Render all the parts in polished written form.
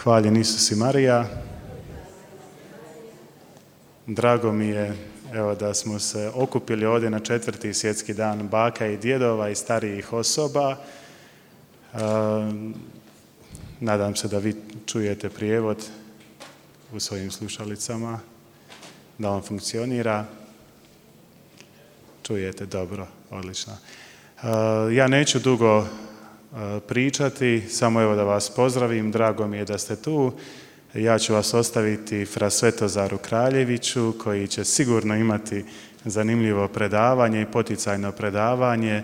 Hvaljen Isus i Marija. Drago mi je da smo se okupili ovdje na 4. svjetski dan baka i djedova i starijih osoba. Nadam se da vi čujete prijevod u svojim slušalicama, da on funkcionira. Čujete dobro, odlično. Ja neću dugo pričati, samo da vas pozdravim, drago mi je da ste tu. Ja ću vas ostaviti fra Svetozaru Kraljeviću, koji će sigurno imati zanimljivo predavanje i poticajno predavanje.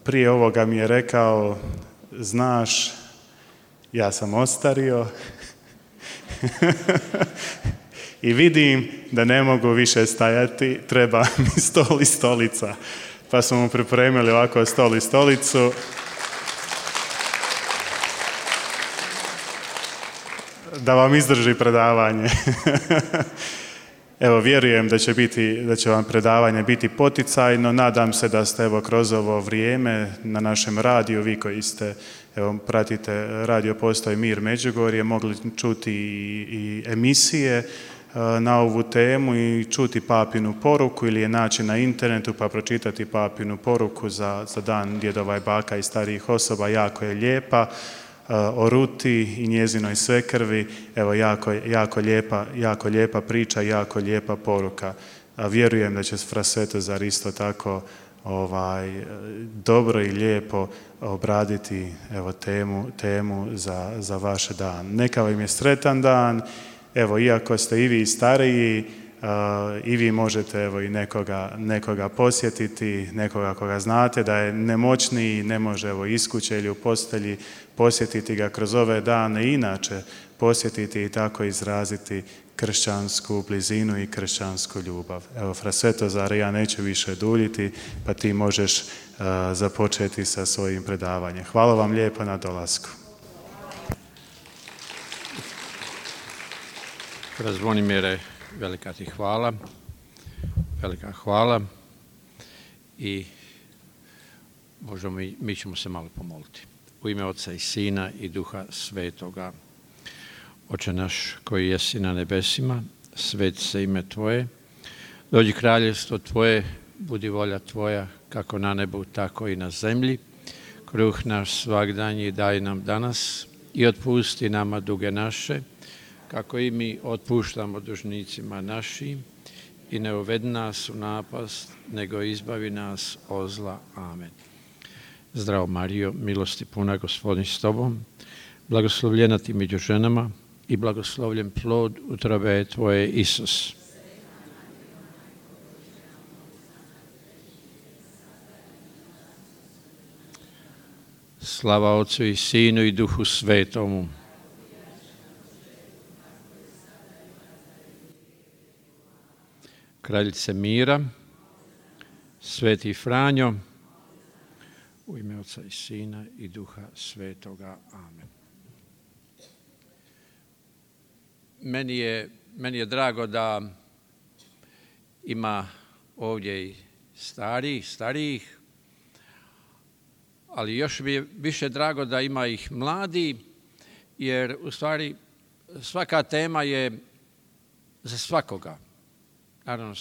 Prije ovoga mi je rekao, znaš, ja sam ostario i vidim da ne mogu više stajati, treba mi stol i stolica. Pa smo mu pripremili ovako stol i stolicu. Da vam izdrži predavanje. Evo, vjerujem da će vam predavanje biti poticajno. Nadam se da ste kroz ovo vrijeme na našem radiju, vi koji ste, pratite Radio Postoj Mir Međugorje, mogli čuti i emisije na ovu temu i čuti papinu poruku ili je naći na internetu pa pročitati papinu poruku za dan djedova i baka i starijih osoba. Jako je lijepa. O Ruti i njezinoj svekrvi, jako lijepa priča, jako lijepa poruka. Vjerujem da će fra Svetozar isto tako dobro i lijepo obraditi temu za vaš dan. Neka vam je sretan dan. Iako ste i vi stariji, i vi možete i nekoga posjetiti, nekoga koga znate da je nemoćniji, ne može iz kuće ili u postelji posjetiti ga kroz ove dane, inače posjetiti i tako izraziti kršćansku blizinu i kršćansku ljubav. Fra Svetozare, ja neću više duljiti, pa ti možeš započeti sa svojim predavanjem. Hvala vam lijepo na dolasku. Zvonimire, velika ti hvala, velika hvala i možemo mi ćemo se malo pomoliti. U ime Oca i Sina i Duha Svetoga. Oče naš koji jesi na nebesima, sveti se ime Tvoje, dođi kraljevstvo Tvoje, budi volja Tvoja, kako na nebu, tako i na zemlji. Kruh naš svagdanji daj nam danas i otpusti nama duge naše, kako i mi otpuštamo dužnicima našim, i ne uvedi nas u napast, nego izbavi nas od zla. Amen. Zdravo Marijo, milosti puna, Gospodin s tobom, blagoslovljena ti među ženama i blagoslovljen plod utrobe tvoje, Isus. Slava Otcu i Sinu i Duhu Svetomu. Kraljice mira, Sveti Franjo, u ime Oca i Sina i Duha Svetoga. Amen. Meni je drago da ima ovdje i starijih, ali još mi je više drago da ima ih mladi, jer u stvari svaka tema je za svakoga. Naravno,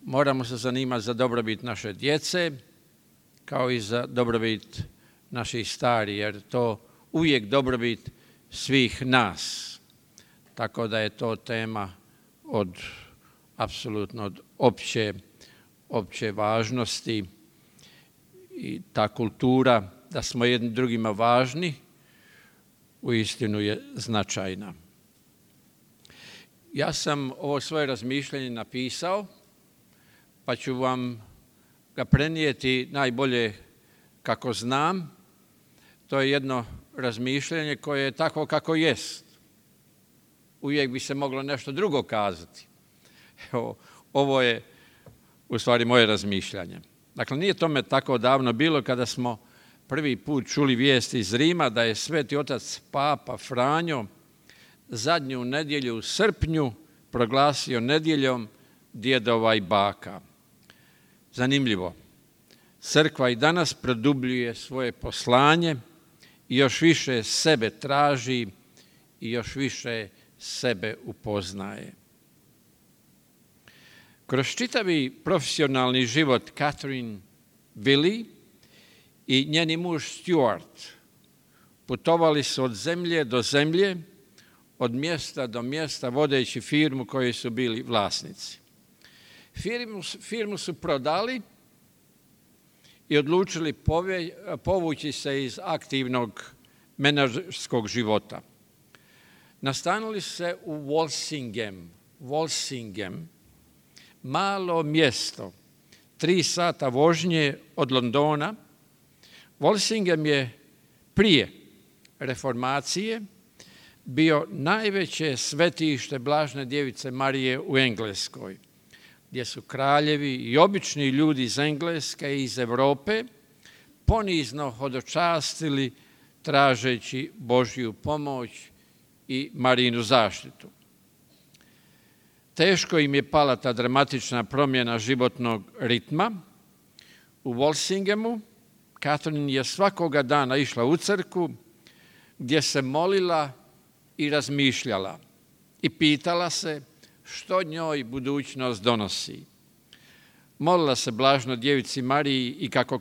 moramo se zanimati za dobrobit naše djece, kao i za dobrobit naših starih, jer to uvijek dobrobit svih nas. Tako da je to tema apsolutno od opće važnosti, i ta kultura da smo jedni drugima važni uistinu je značajna. Ja sam ovo svoje razmišljanje napisao, pa ću vam ga prenijeti najbolje kako znam. To je jedno razmišljanje koje je tako kako jest. Uvijek bi se moglo nešto drugo kazati. Evo, ovo je u stvari moje razmišljanje. Dakle, nije tome tako davno bilo kada smo prvi put čuli vijesti iz Rima da je Sveti Otac Papa Franjo zadnju nedjelju u srpnju proglasio nedjeljom djedova i baka. Zanimljivo. Crkva i danas produbljuje svoje poslanje još više sebe traži i još više sebe upoznaje. Kroz čitavi profesionalni život Catherine Willey i njeni muž Stuart putovali su od zemlje do zemlje, od mjesta do mjesta, vodeći firmu koje su bili vlasnici. Firmu su prodali i odlučili povući se iz aktivnog menadžerskog života. Nastanili se u Walsingham, malo mjesto, 3 sata vožnje od Londona. Walsingham je prije reformacije bio najveće svetište Blažene djevice Marije u Engleskoj, gdje su kraljevi i obični ljudi iz Engleske i iz Europe ponizno hodočastili tražeći Božju pomoć i Marijinu zaštitu. Teško im je pala ta dramatična promjena životnog ritma. U Walsinghamu Catherine je svakoga dana išla u crkvu gdje se molila i razmišljala i pitala se što njoj budućnost donosi. Molila se Blaženoj djevici Mariji i kako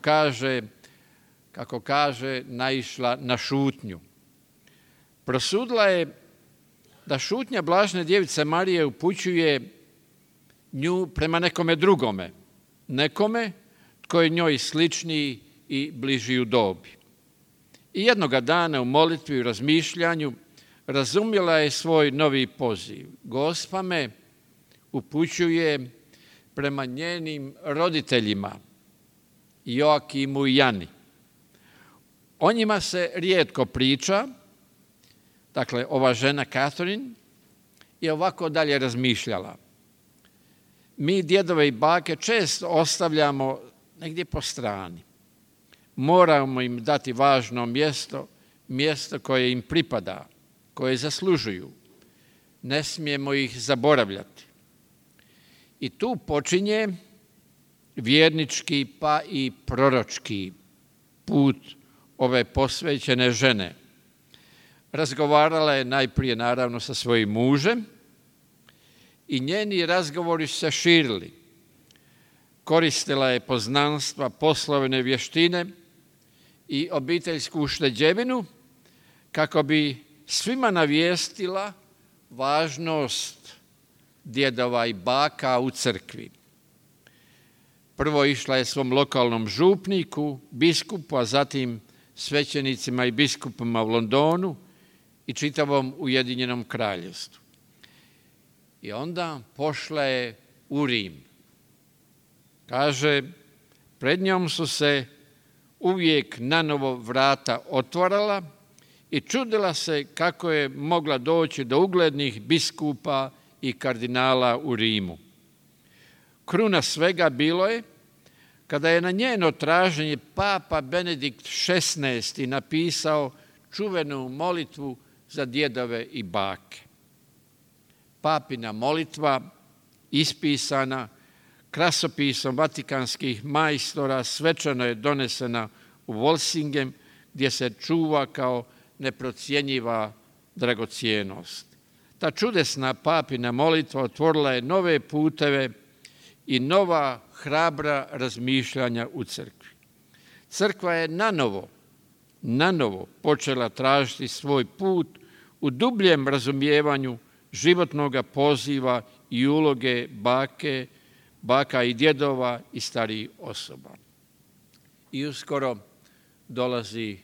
kaže, naišla na šutnju. Prosudila je da šutnja Blažene djevice Marije upućuje nju prema nekome drugome, nekome tko je njoj sličniji i bliži u dobi. I jednoga dana u molitvi i razmišljanju razumjela je svoj novi poziv. Gospa me upućuje prema njenim roditeljima, Joakimu i Jani. O njima se rijetko priča, dakle ova žena Catherine je ovako dalje razmišljala. Mi djedove i bake često ostavljamo negdje po strani. Moramo im dati važno mjesto koje im pripada, koje zaslužuju. Ne smijemo ih zaboravljati. I tu počinje vjernički pa i proročki put ove posvećene žene. Razgovarala je najprije naravno sa svojim mužem i njeni razgovori su se širili. Koristila je poznanstva, poslovne vještine i obiteljsku ušteđevinu kako bi svima navijestila važnost djedova i baka u crkvi. Prvo išla je svom lokalnom župniku, biskupu, a zatim svećenicima i biskupima u Londonu i čitavom Ujedinjenom kraljevstvu. I onda pošla je u Rim. Kaže, pred njom su se uvijek nanovo vrata otvarala i čudila se kako je mogla doći do uglednih biskupa i kardinala u Rimu. Kruna svega bilo je kada je na njeno traženje papa Benedikt XVI napisao čuvenu molitvu za djedove i bake. Papina molitva, ispisana krasopisom vatikanskih majstora, svečano je donesena u Walsingham, gdje se čuva kao neprocjenjiva dragocjenost. Ta čudesna papina molitva otvorila je nove puteve i nova hrabra razmišljanja u crkvi. Crkva je nanovo počela tražiti svoj put u dubljem razumijevanju životnog poziva i uloge baka i djedova i starijih osoba. I uskoro dolazi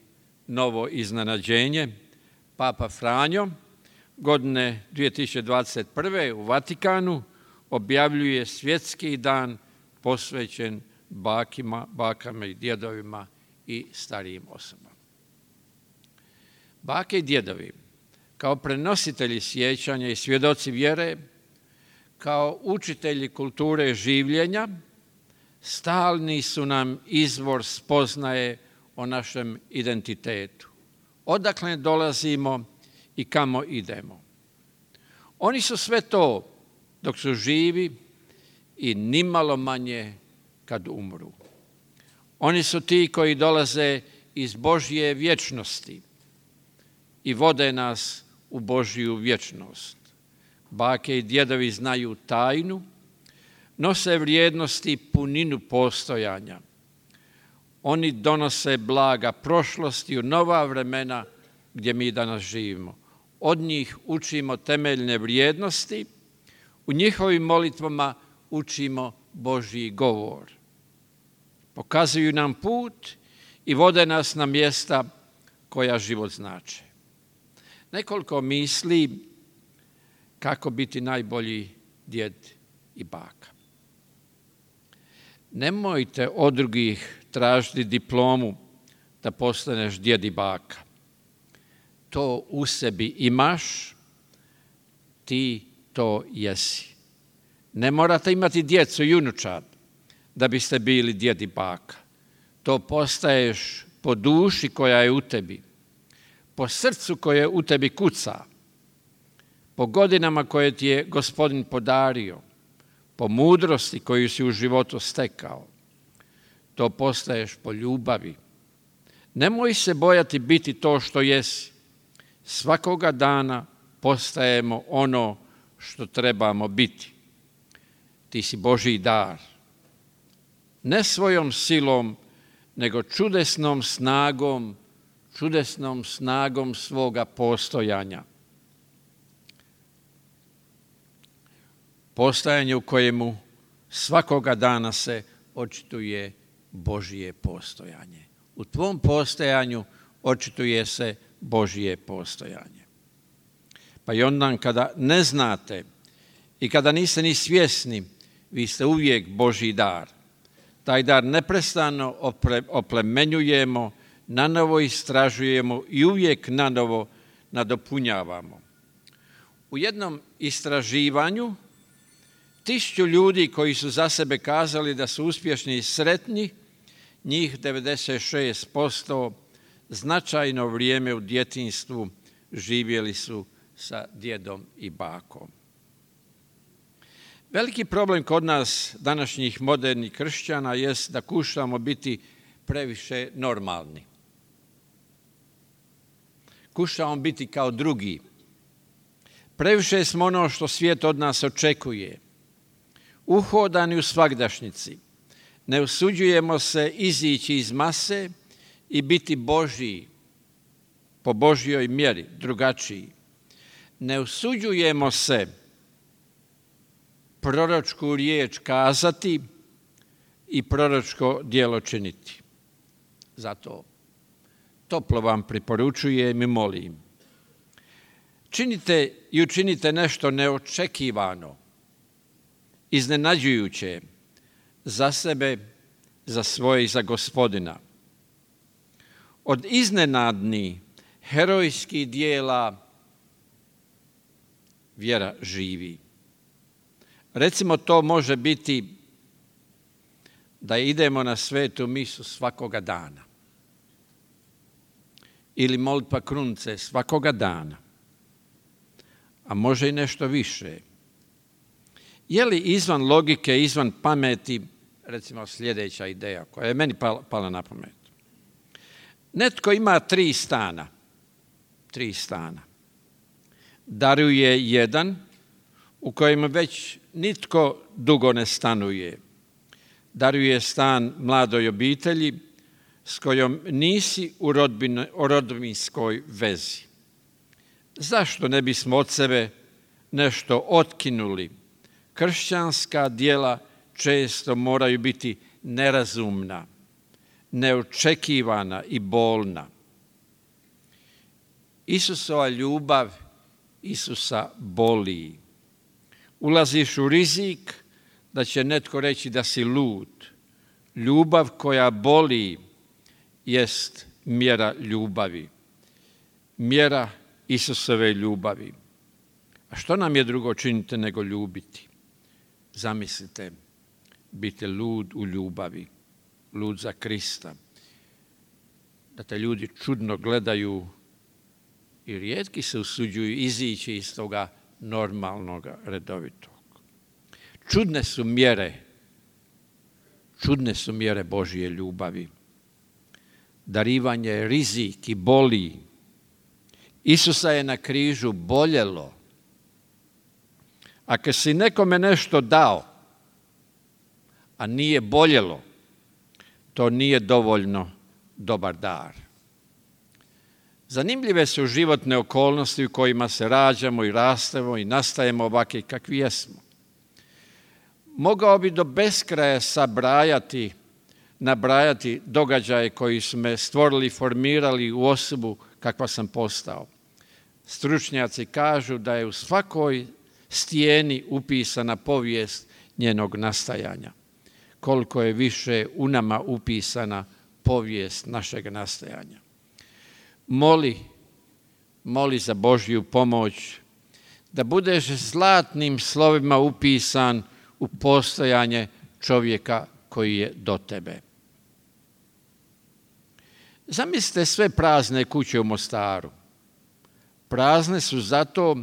novo iznenađenje. Papa Franjo godine 2021. u Vatikanu objavljuje svjetski dan posvećen bakama i djedovima i starijim osobama. Bake i djedovi kao prenositelji sjećanja i svjedoci vjere, kao učitelji kulture življenja, stalni su nam izvor spoznaje o našem identitetu. Odakle dolazimo i kamo idemo. Oni su sve to dok su živi i nimalo manje kad umru. Oni su ti koji dolaze iz Božje vječnosti i vode nas u Božju vječnost. Bake i djedovi znaju tajnu, nose vrijednosti i puninu postojanja. Oni donose blaga prošlosti u nova vremena gdje mi danas živimo. Od njih učimo temeljne vrijednosti, u njihovim molitvama učimo Božji govor. Pokazuju nam put i vode nas na mjesta koja život znače. Nekoliko misli kako biti najbolji djed i baka. Nemojte od drugih tražiti diplomu da postaneš djed i baka. To u sebi imaš, ti to jesi. Ne morate imati djecu i unučad da biste bili djed i baka. To postaješ po duši koja je u tebi, po srcu koje u tebi kuca, po godinama koje ti je Gospodin podario, po mudrosti koju si u životu stekao. To postaješ po ljubavi. Nemoj se bojati biti to što jesi. Svakoga dana postajemo ono što trebamo biti. Ti si Božji dar. Ne svojom silom, nego čudesnom snagom svoga postojanja. Postojanje u kojemu svakoga dana se očituje Božje postojanje. U tvom postojanju očituje se Božje postojanje. Pa i onda kada ne znate i kada niste ni svjesni, vi ste uvijek Božji dar. Taj dar neprestano oplemenjujemo, nanovo istražujemo i uvijek nanovo nadopunjavamo. U jednom istraživanju 1000 ljudi koji su za sebe kazali da su uspješni i sretni, njih 96% značajno vrijeme u djetinjstvu živjeli su sa djedom i bakom. Veliki problem kod nas, današnjih modernih kršćana, jest da kušamo biti previše normalni. Kušamo biti kao drugi. Previše smo ono što svijet od nas očekuje. Uhodani u svagdašnici. Ne usuđujemo se izići iz mase i biti Božji, po Božjoj mjeri, drugačiji. Ne usuđujemo se proročku riječ kazati i proročko djelo činiti. Zato toplo vam preporučujem i molim. Činite i učinite nešto neočekivano, iznenađujuće za sebe, za svoje i za Gospodina. Od iznenadnih, herojskih dijela vjera živi. Recimo, to može biti da idemo na svetu misu svakoga dana ili molitva krunice svakoga dana, a može i nešto više. Je li izvan logike, izvan pameti, recimo sljedeća ideja koja je meni pala na pamet. Netko ima 3 stana. 3 stana. Daruje jedan u kojem već nitko dugo ne stanuje. Daruje stan mladoj obitelji s kojom nisi u rodbinskoj vezi. Zašto ne bismo od sebe nešto otkinuli? Kršćanska djela često moraju biti nerazumna, neočekivana i bolna. Isusova ljubav Isusa boli. Ulaziš u rizik da će netko reći da si lud. Ljubav koja boli jest mjera ljubavi. Mjera Isusove ljubavi. A što nam je drugo činiti nego ljubiti? Zamislite, biti lud u ljubavi, lud za Krista. Da te ljudi čudno gledaju i rijetki se usuđuju izići iz toga normalnog, redovitog. Čudne su mjere Božje ljubavi. Darivanje je rizik i boli. Isusa je na križu boljelo. Ako si nekome nešto dao, a nije boljelo, to nije dovoljno dobar dar. Zanimljive su životne okolnosti u kojima se rađamo i rastemo i nastajemo ovakvi kakvi jesmo. Mogao bi do beskraja nabrajati događaje koji su me stvorili, formirali u osobu kakva sam postao. Stručnjaci kažu da je u svakoj stijeni upisana povijest njenog nastajanja. Koliko je više u nama upisana povijest našeg nastajanja. Moli za Božju pomoć da budeš zlatnim slovima upisan u postojanje čovjeka koji je do tebe. Zamislite sve prazne kuće u Mostaru. Prazne su zato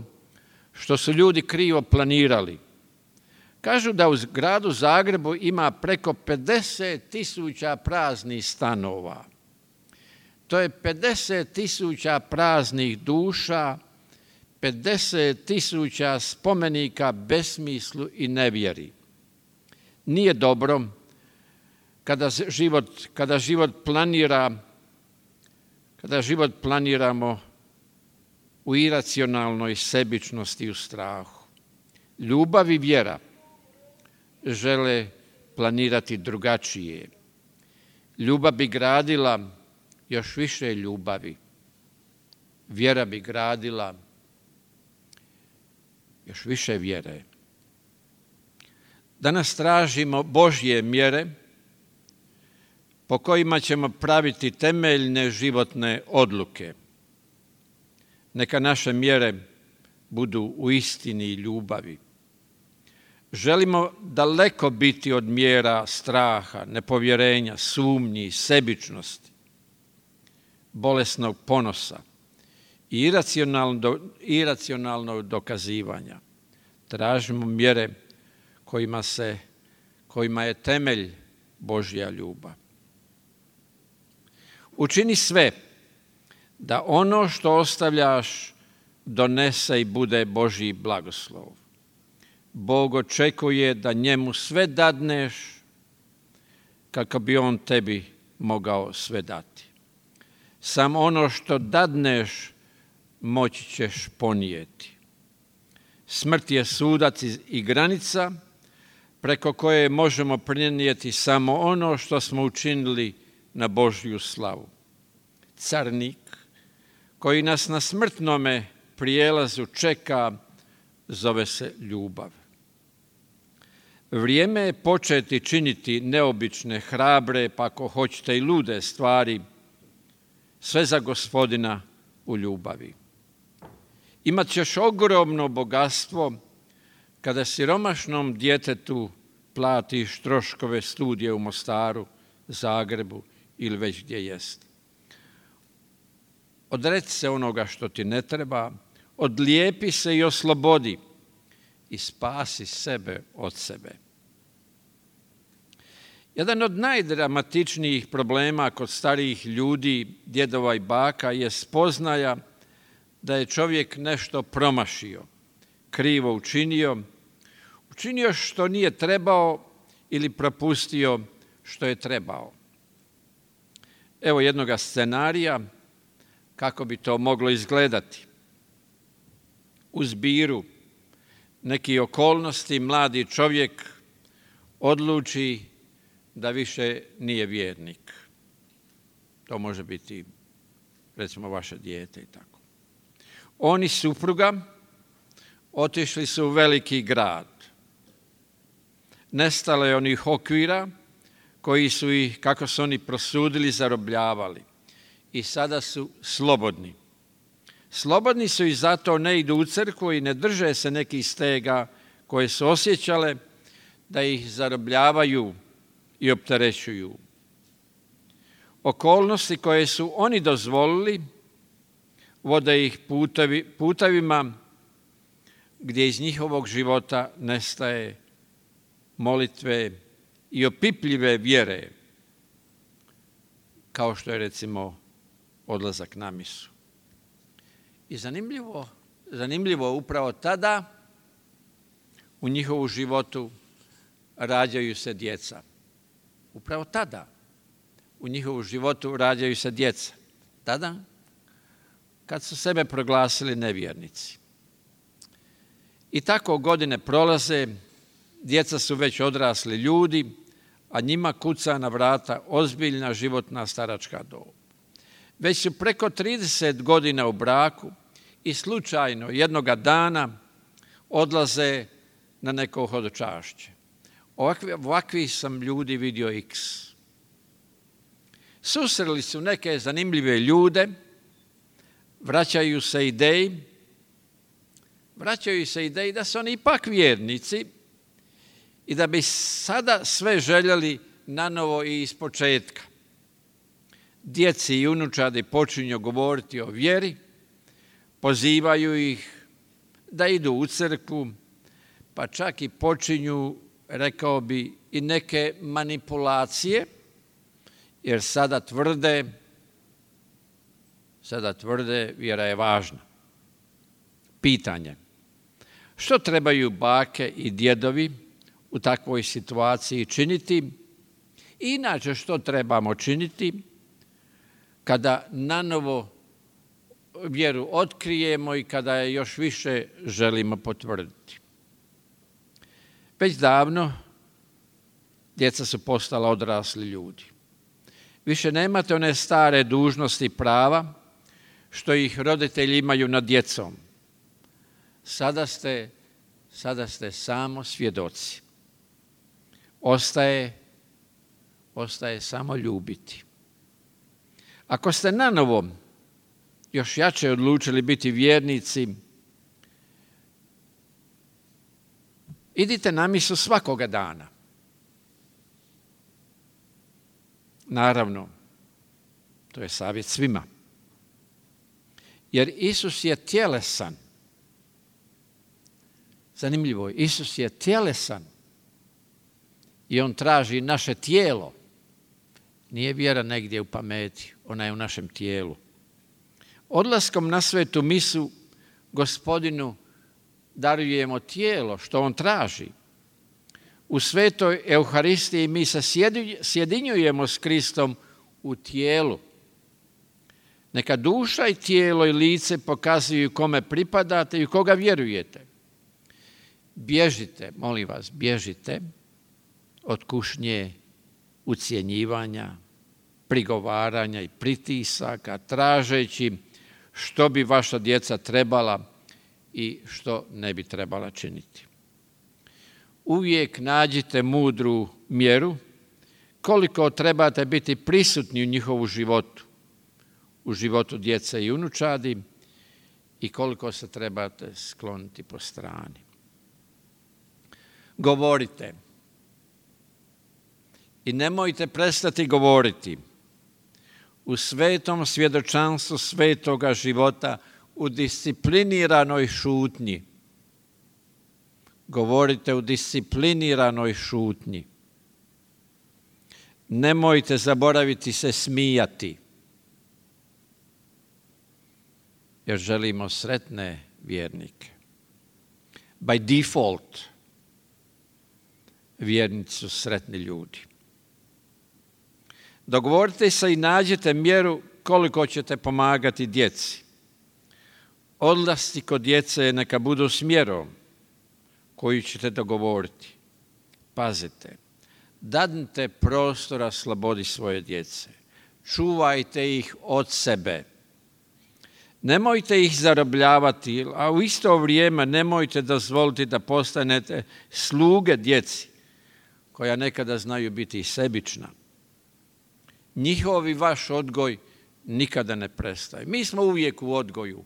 što su ljudi krivo planirali. Kažu da u gradu Zagrebu ima preko 50.000 praznih stanova. To je 50.000 praznih duša, 50.000 spomenika besmislu i nevjeri. Nije dobro kada život planiramo u iracionalnoj sebičnosti i u strahu. Ljubav i vjera žele planirati drugačije. Ljubav bi gradila još više ljubavi. Vjera bi gradila još više vjere. Danas tražimo Božje mjere po kojima ćemo praviti temeljne životne odluke. Neka naše mjere budu u istini i ljubavi. Želimo daleko biti od mjera straha, nepovjerenja, sumnji, sebičnosti, bolesnog ponosa i iracionalnog dokazivanja. Tražimo mjere kojima je temelj Božja ljubav. Učini sve da ono što ostavljaš donese i bude Božji blagoslov. Bog očekuje da njemu sve dadneš kako bi on tebi mogao sve dati. Samo ono što dadneš moći ćeš ponijeti. Smrt je sudac i granica preko koje možemo prenijeti samo ono što smo učinili na Božju slavu. Carnik koji nas na smrtnome prijelazu čeka zove se ljubav. Vrijeme je početi činiti neobične, hrabre, pa ako hoćete i lude stvari, sve za Gospodina u ljubavi. Imat ćeš ogromno bogatstvo kada siromašnom djetetu platiš troškove studija u Mostaru, Zagrebu ili već gdje jest. Odreci se onoga što ti ne treba, odlijepi se i oslobodi i spasi sebe od sebe. Jedan od najdramatičnijih problema kod starijih ljudi, djedova i baka je spoznaja da je čovjek nešto promašio, krivo učinio što nije trebao ili propustio što je trebao. Evo jednoga scenarija kako bi to moglo izgledati. U zbiru nekih okolnosti mladi čovjek odluči da više nije vjernik. To može biti, recimo, vaše dijete i tako. On i supruga otišli su u veliki grad. Nestalo je onih okvira koji su ih, kako su oni prosudili, zarobljavali. I sada su slobodni. Slobodni su i zato ne idu u crkvu i ne drže se nekih stega koje su osjećale da ih zarobljavaju i opterećuju. Okolnosti koje su oni dozvolili vode ih putevima gdje iz njihovog života nestaje molitve i opipljive vjere, kao što je recimo odlazak na misu. I zanimljivo upravo tada u njihovu životu rađaju se djeca. Upravo tada u njihovu životu rađaju se djeca. Tada kad su sebe proglasili nevjernici. I tako godine prolaze, djeca su već odrasli ljudi, a njima kuca na vrata ozbiljna životna staračka dob. Već su preko 30 godina u braku i slučajno jednoga dana odlaze na neko hodočašće. Ovakvi sam ljudi vidio x. Susreli su neke zanimljive ljude, vraćaju se ideji da su oni ipak vjernici i da bi sada sve željeli nanovo i iz početka. Djeci i unučadi počinju govoriti o vjeri, pozivaju ih da idu u crkvu, pa čak i počinju, rekao bi, i neke manipulacije, jer sada tvrde vjera je važna. Pitanje: što trebaju bake i djedovi u takvoj situaciji činiti? I inače, što trebamo činiti kada nanovo vjeru otkrijemo i kada je još više želimo potvrditi? Već davno djeca su postala odrasli ljudi. Više nemate one stare dužnosti i prava što ih roditelji imaju nad djecom. Sada ste samo svjedoci. Ostaje samo ljubiti. Ako ste nanovo još jače odlučili biti vjernici, idite na misu svakoga dana. Naravno, to je savjet svima. Jer Isus je tjelesan. Zanimljivo, Isus je tjelesan i on traži naše tijelo. Nije vjera negdje u pameti, ona je u našem tijelu. Odlaskom na svetu misu Gospodinu darujemo tijelo što on traži. U svetoj Euharistiji mi se sjedinjujemo s Kristom u tijelu. Neka duša i tijelo i lice pokazuju kome pripadate i u koga vjerujete. Bježite, molim vas, bježite od kušnje, ucjenjivanja, prigovaranja i pritisaka, tražeći što bi vaša djeca trebala i što ne bi trebala činiti. Uvijek nađite mudru mjeru koliko trebate biti prisutni u njihovu životu, u životu djece i unučadi i koliko se trebate skloniti po strani. Govorite i nemojte prestati govoriti u svetom svjedočanstvu svetoga života, u discipliniranoj šutnji. Govorite u discipliniranoj šutnji. Nemojte zaboraviti se smijati, jer želimo sretne vjernike. By default, vjernici su sretni ljudi. Dogovorite se i nađite mjeru koliko ćete pomagati djeci. Odlasci kod djece neka budu s mjerom koju ćete dogovoriti. Pazite, dadnite prostora slobodi svoje djece. Čuvajte ih od sebe. Nemojte ih zarobljavati, a u isto vrijeme nemojte dozvoliti da postanete sluge djeci, koja nekada znaju biti i sebična. Njihovi vaš odgoj nikada ne prestaje. Mi smo uvijek u odgoju.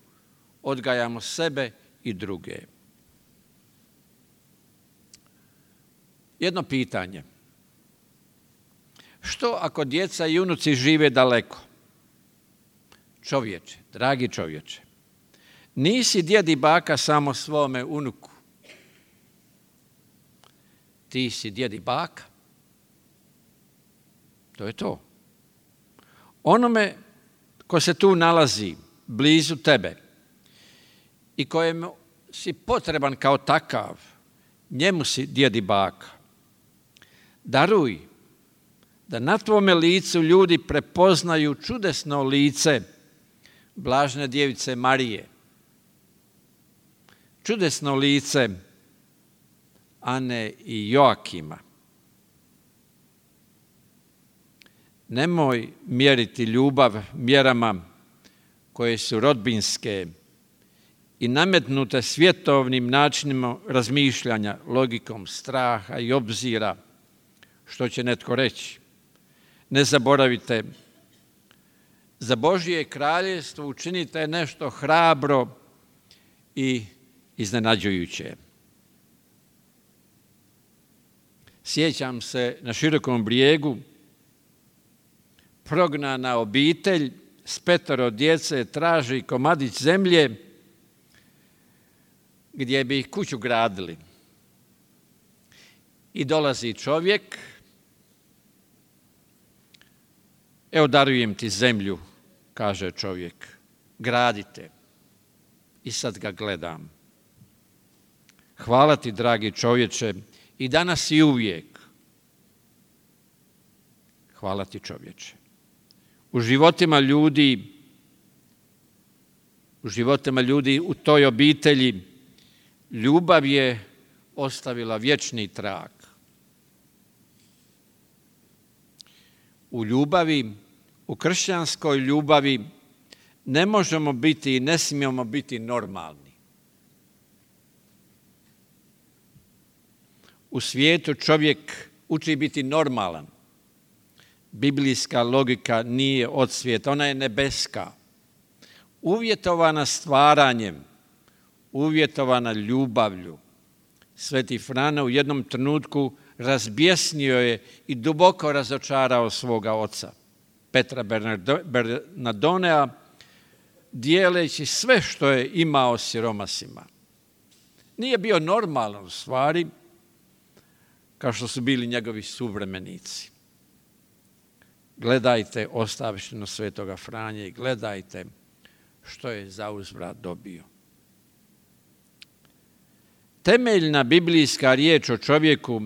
Odgajamo sebe i druge. Jedno pitanje. Što ako djeca i unuci žive daleko? Čovječe, dragi čovječe, nisi djed i baka samo svome unuku. Ti si djed i baka. To je to. Onome ko se tu nalazi blizu tebe i kojemu si potreban kao takav, njemu si djed i baka. Daruj da na tvome licu ljudi prepoznaju čudesno lice blažene djevice Marije, čudesno lice Ane i Joakima. Nemoj mjeriti ljubav mjerama koje su rodbinske i nametnute svjetovnim načinima razmišljanja, logikom straha i obzira, što će netko reći. Ne zaboravite, za Božje kraljevstvo učinite nešto hrabro i iznenađujuće. Sjećam se na Širokom Brijegu, prognana obitelj s 5 djece traži komadić zemlje gdje bi kuću gradili. I dolazi čovjek, evo darujem ti zemlju, kaže čovjek, gradite. I sad ga gledam. Hvala ti, dragi čovječe, i danas i uvijek. Hvala ti, čovječe. U životima ljudi u toj obitelji ljubav je ostavila vječni trag. U ljubavi, u kršćanskoj ljubavi ne možemo biti i ne smijemo biti normalni. U svijetu čovjek uči biti normalan. Biblijska logika nije od svijeta, ona je nebeska. Uvjetovana stvaranjem, uvjetovana ljubavlju. Sveti Frane u jednom trenutku razbjesnio je i duboko razočarao svoga oca, Petra Bernardonea, dijeleći sve što je imao siromasima. Nije bio normalan u stvari, kao što su bili njegovi suvremenici. Gledajte ostavštinu svetoga Franje i gledajte što je zauzvrat dobio. Temeljna biblijska riječ o čovjeku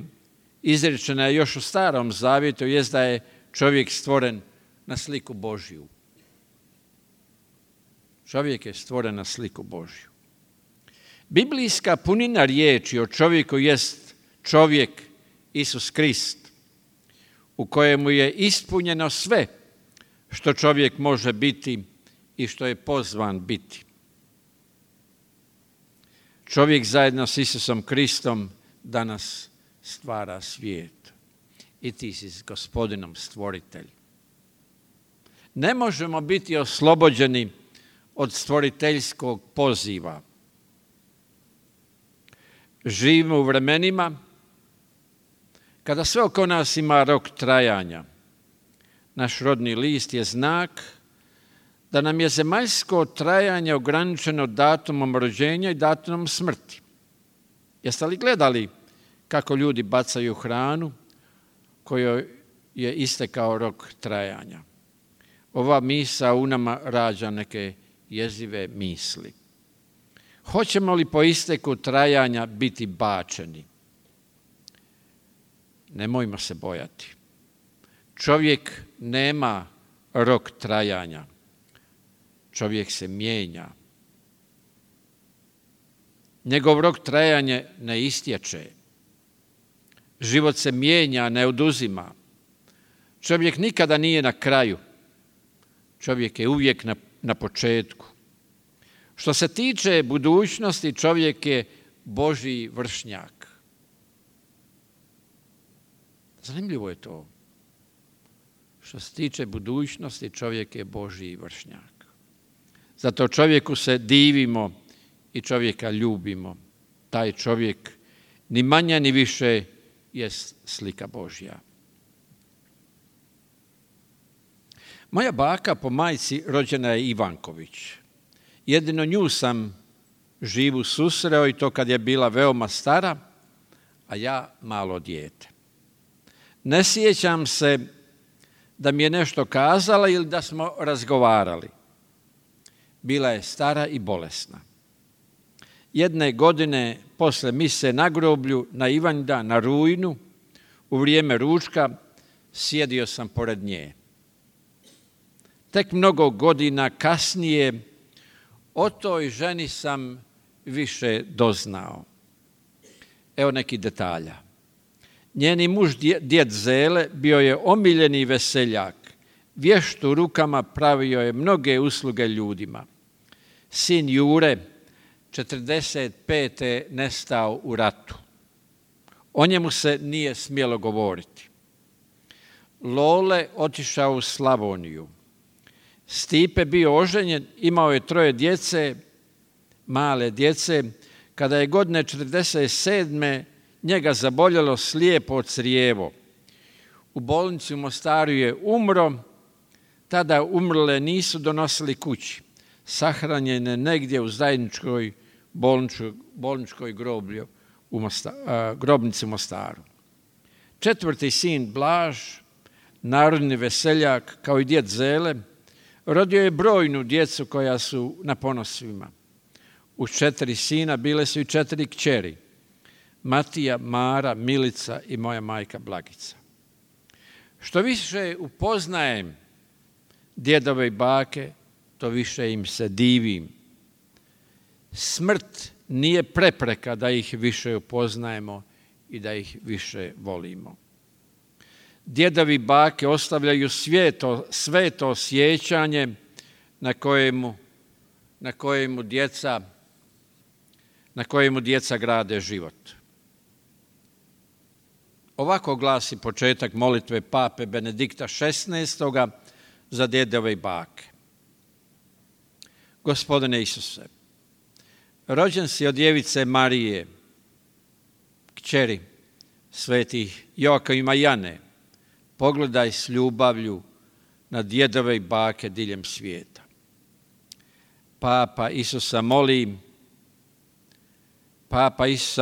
izrečena je još u Starom Zavjetu, jest da je čovjek stvoren na sliku Božju. Čovjek je stvoren na sliku Božju. Biblijska punina riječi o čovjeku jest čovjek Isus Krist, u kojemu je ispunjeno sve što čovjek može biti i što je pozvan biti. Čovjek zajedno s Isusom Kristom danas stvara svijet. I ti si s Gospodinom stvoritelj. Ne možemo biti oslobođeni od stvoriteljskog poziva. Živimo u vremenima kada sve oko nas ima rok trajanja. Naš rodni list je znak da nam je zemaljsko trajanje ograničeno datumom rođenja i datumom smrti. Jeste li gledali kako ljudi bacaju hranu kojoj je istekao rok trajanja? Ova misao u nama rađa neke jezive misli. Hoćemo li po isteku trajanja biti bačeni? Nemojmo se bojati. Čovjek nema rok trajanja. Čovjek se mijenja. Njegov rok trajanja ne istječe. Život se mijenja, ne oduzima. Čovjek nikada nije na kraju. Čovjek je uvijek na početku. Što se tiče budućnosti, čovjek je Božji vršnjak. Zanimljivo je to. Što se tiče budućnosti, čovjek je Božji vršnjak. Zato čovjeku se divimo i čovjeka ljubimo. Taj čovjek ni manje ni više jest slika Božja. Moja baka po majci rođena je Ivanković. Jedino nju sam živu susreo i to kad je bila veoma stara, a ja malo dijete. Ne sjećam se da mi je nešto kazala ili da smo razgovarali. Bila je stara i bolesna. jedne godine posle mise na groblju, na Ivanjdan, na rujnu, u vrijeme ručka, sjedio sam pored nje. Tek mnogo godina kasnije o toj ženi sam više doznao. Evo neki detalja. Njeni muž, djed Zele, bio je omiljeni veseljak. Vještu rukama pravio je mnoge usluge ljudima. Sin Jure, 45. nestao u ratu. O njemu se nije smjelo govoriti. Lole otišao u Slavoniju. Stipe bio oženjen, imao je 3 djece, male djece. Kada je godine 47. njega zaboljelo slijepo crijevo. U bolnici u Mostaru je umro, tada umrle nisu donosili kući. Sahranjen je negdje u zajedničkoj bolničkoj grobnici u Mostaru. 4. sin Blaž, narodni veseljak, kao i djed Zele, rodio je brojnu djecu koja su na ponosima. Uz 4 sina bile su i 4 kćeri. Matija, Mara, Milica i moja majka Blagica. Što više upoznajem djedove i bake, to više im se divim. Smrt nije prepreka da ih više upoznajemo i da ih više volimo. Djedovi i bake ostavljaju sveto sjećanje na kojemu djeca grade život. Ovako glasi početak molitve pape Benedikta XVI. Za djedove i bake. Gospodine Isuse, rođen si od djevice Marije, kćeri svetih Joakima i Jane, pogledaj s ljubavlju na djedove i bake diljem svijeta. Papa Isusa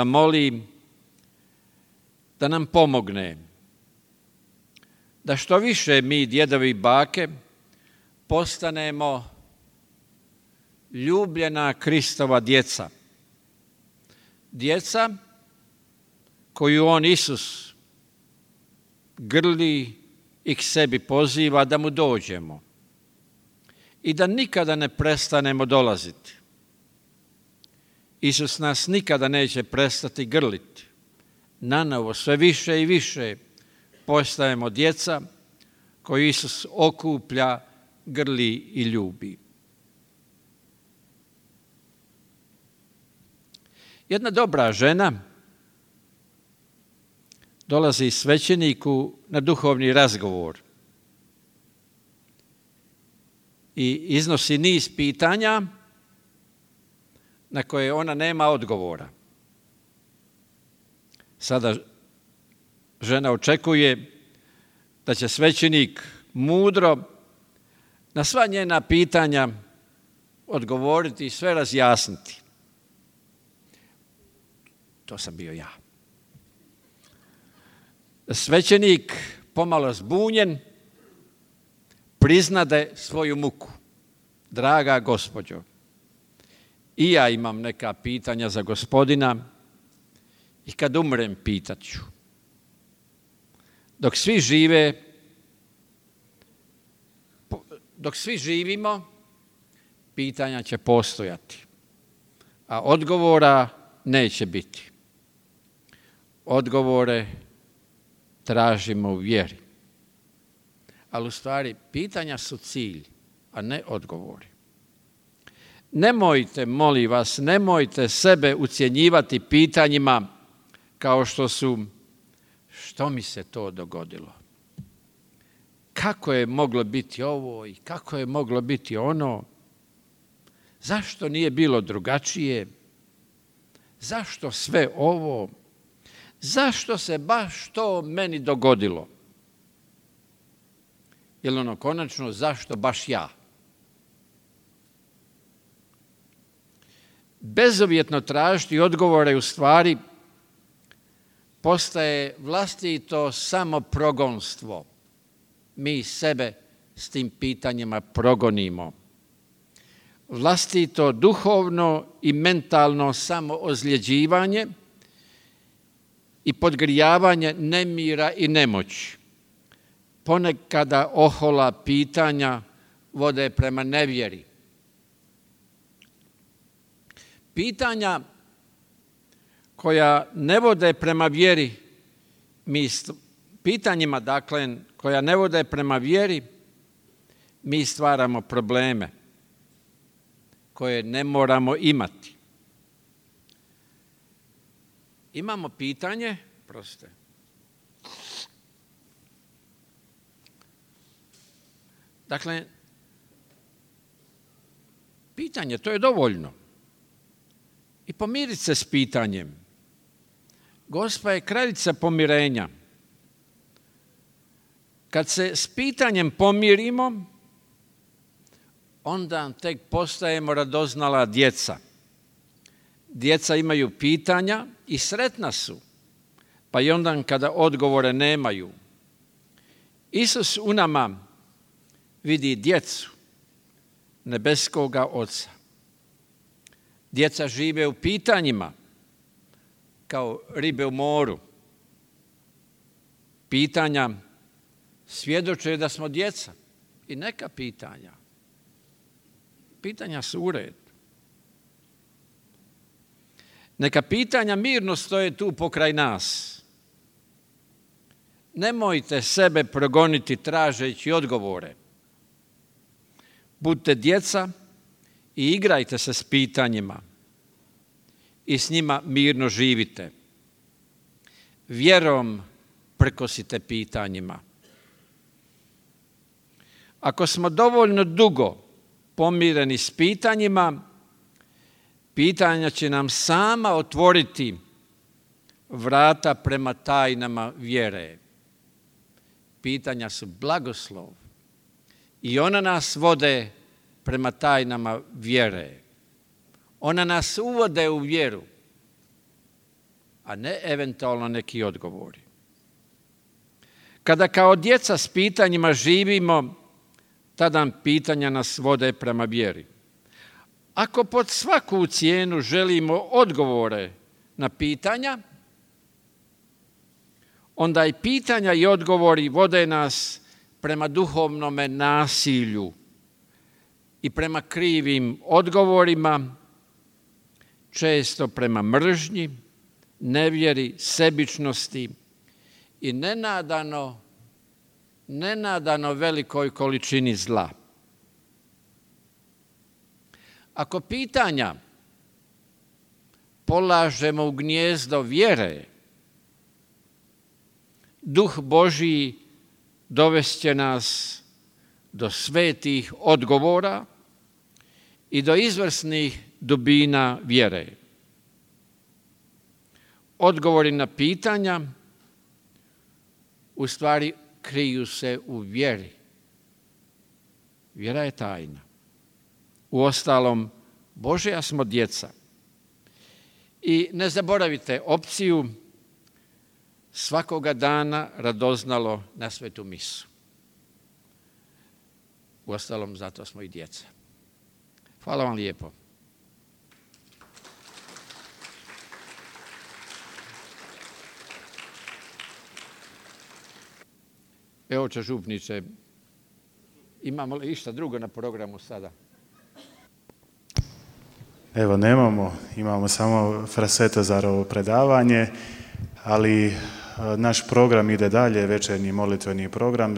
moli da nam pomogne da što više mi, djedovi i bake, postanemo ljubljena Kristova djeca. Djeca koju on, Isus, grli i k sebi poziva da mu dođemo i da nikada ne prestanemo dolaziti. Isus nas nikada neće prestati grliti. Nanovo, sve više i više postajemo djeca koju Isus okuplja, grli i ljubi. Jedna dobra žena dolazi svećeniku na duhovni razgovor i iznosi niz pitanja na koje ona nema odgovora. Sada žena očekuje da će svećenik mudro na sva njena pitanja odgovoriti i sve razjasniti. To sam bio ja. Svećenik, pomalo zbunjen, priznade svoju muku. Draga gospođo, i ja imam neka pitanja za gospodina i kad umrem pitat ću. Dok svi živimo, pitanja će postojati, a odgovora neće biti. Odgovore tražimo u vjeri. Ali u stvari pitanja su cilj, a ne odgovori. Nemojte, molim vas, nemojte sebe ucjenjivati pitanjima kao što su: što mi se to dogodilo? Kako je moglo biti ovo i kako je moglo biti ono? Zašto nije bilo drugačije? Zašto sve ovo? Zašto se baš to meni dogodilo? Ili ono konačno, zašto baš ja? Bezuvjetno tražiti odgovore u stvari postaje vlastito samoprogonstvo. Mi sebe s tim pitanjima progonimo. vlastito duhovno i mentalno samoozljeđivanje i podgrijavanje nemira i nemoći. Ponekada ohola pitanja vode prema nevjeri. Pitanja koja ne vode prema vjeri, pitanjima, dakle, koja ne vode prema vjeri, mi stvaramo probleme koje ne moramo imati. Imamo pitanje, dakle, pitanje, to je dovoljno. I pomiriti se s pitanjem. Gospa je kraljica pomirenja. Kad se s pitanjem pomirimo, onda tek postajemo radoznala djeca. Djeca imaju pitanja i sretna su, pa i onda kada odgovore nemaju. Isus u nama vidi djecu nebeskoga Oca. Djeca žive u pitanjima kao ribe u moru. Pitanja svjedoče da smo djeca i neka pitanja. Pitanja su u redu. Neka pitanja mirno stoje tu pokraj nas. Nemojte sebe progoniti tražeći odgovore. Budite djeca i igrajte se s pitanjima i s njima mirno živite. Vjerom prkosite pitanjima. Ako smo dovoljno dugo pomireni s pitanjima, pitanja će nam sama otvoriti vrata prema tajnama vjere. Pitanja su blagoslov i ona nas vode prema tajnama vjere. Ona nas uvode u vjeru, a ne eventualno neki odgovori. Kada kao djeca s pitanjima živimo, tada pitanja nas vode prema vjeri. Ako pod svaku cijenu želimo odgovore na pitanja, onda i pitanja i odgovori vode nas prema duhovnome nasilju i prema krivim odgovorima, često prema mržnji, nevjeri, sebičnosti i nenadano velikoj količini zla. Ako pitanja polažemo u gnijezdo vjere, Duh Božji dovest će nas do svetih odgovora i do izvrsnih dubina vjere. Odgovori na pitanja u stvari kriju se u vjeri. Vjera je tajna. Uostalom, Božja smo djeca. I ne zaboravite opciju svakoga dana radoznalo na svetu misu. Uostalom, zato smo i djeca. Hvala vam lijepo. Evo, oče župniče, imamo li išta drugo na programu sada? Evo, imamo samo Frasetozarovo predavanje, ali naš program ide dalje, večernji molitveni program.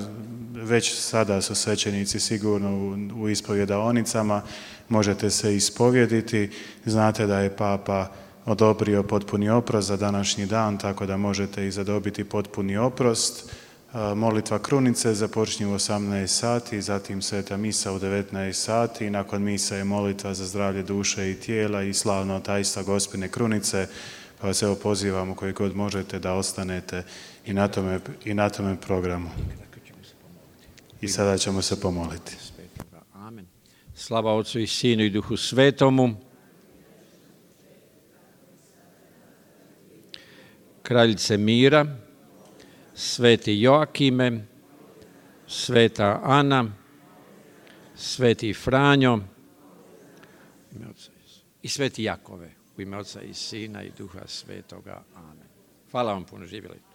Već sada su svećenici sigurno u ispovjedaonicama, možete se ispovjediti. Znate da je Papa odobrio potpuni oprost za današnji dan, tako da možete i zadobiti potpuni oprost. Molitva krunice započinje u 18 sati, zatim sveta misa u 19 sati. Nakon misa je molitva za zdravlje duše i tijela i slavno tajstva Gospine krunice. Pa vas evo pozivamo koji god možete da ostanete i na tome programu. I sada ćemo se pomoliti. Amen. Slava Otcu i Sinu i Duhu Svetomu. Kraljice mira, sveti Joakime, sveta Ana, sveti Franjo, ime Oca i Sveti Jakove, u ime Oca i Sina i Duha Svetoga. Amen. Hvala vam puno, živjeli.